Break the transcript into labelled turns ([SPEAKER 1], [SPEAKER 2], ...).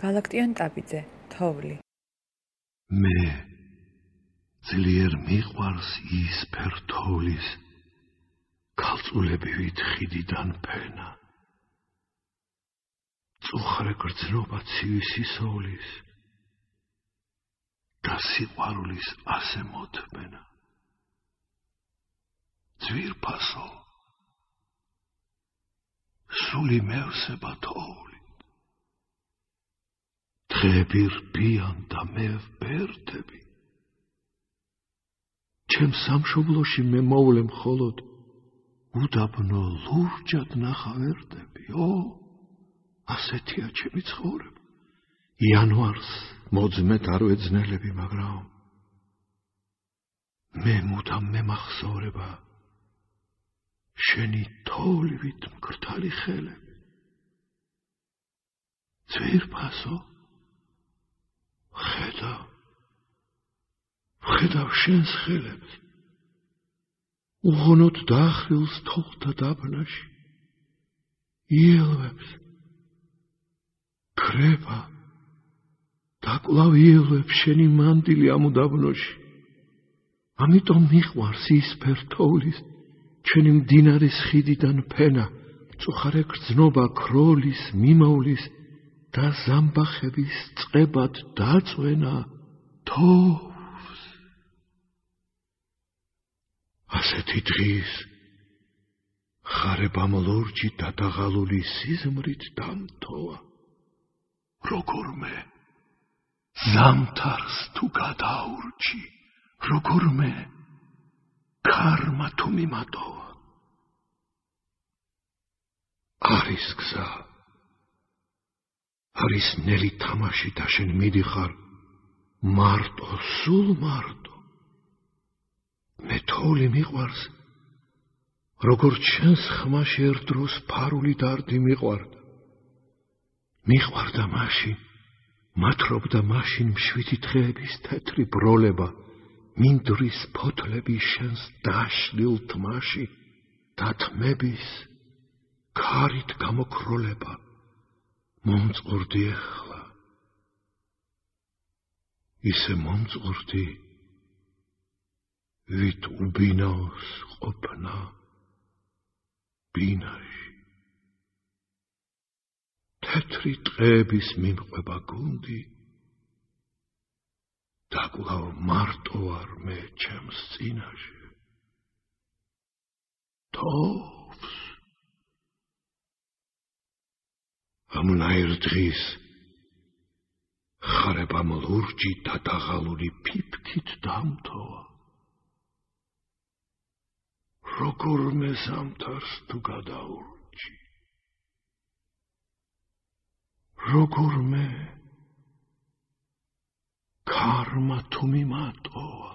[SPEAKER 1] გალაქტიონ ტაბიძე, თოვლი.
[SPEAKER 2] მე ძლიერ მიყვარს ის ფერთოვლის ქალწულებივით ხიდიდან ფენა. წუხრე გრძნობა ცივი სისოვლის და სიყვარულის ასე მოთმენა. ძვირფასო სული მევსება თოვლით. დღეები რბიან და მე ვბერდები. ჩემ სამშობლოში მე მოვლე მხოლოდ უდაბნო ლურჯად ნახავერდები. ასეთია ჩემი ცხოვრება. იანვარს მოძმეთ არ ვეძნელები, მაგრამ მე მუდამ მემახსოვრება შენი თოვლივით მკრთალი ხელები. ძვირფასო ხედავ შენს ხელებს, უღონოდ დაახრილს თოვლთა დაბნაში, იელვებს ქრება და კვლავ იელვებს შენი მანდილი ამ უდაბნოში. ამიტომ მიყვარს ის ფერთოვლის ჩვენი მდინარის ხიდიდან ფენა, მწუხარე გრძნობა ქროლის, მიმოვლის და ზამბახების წყებად დაწვენა თოვლს. ასეთი დღის ხარებამ ლურჯი დადაღალული სიზმრით დამთოვა. როგორმე ზამთარს თუ გადაურჩი, როგორმე ქარმა თუ მიმატოვა. არის გზა, არის ნელი თამაში და შენ მიდიხარ მარტო, სულ მარტო. მე თოვლი მიყვარს, როგორც შენს ხმაში ერთ დროს ფარული დარდი მიყვარდა. მიყვარდა მაშინ, მათრობდა მაშინ მშვიდი დღეების თეთრი ბროლება, მინდვრის ფოთლები შენს დაშლილ თმაში და თმების ქარით გამოკროლება. მომწყურდი ეხლა, ისე მომწყურდი, ვით უბინაოს ყოფნა ბინაში. თეთრი ტყეების მიმყვება გუნდი და კვლავ მარტო ვარ მე ჩემს წინაშე. თოვლს ამნაირ დღის ხარებამ ლურჯი დადაღალული ფიფქით დამთოვა. როგორმე ზამთარს თუ გადაურჩი, როგორმე ქარმა თუ მიმატოვა.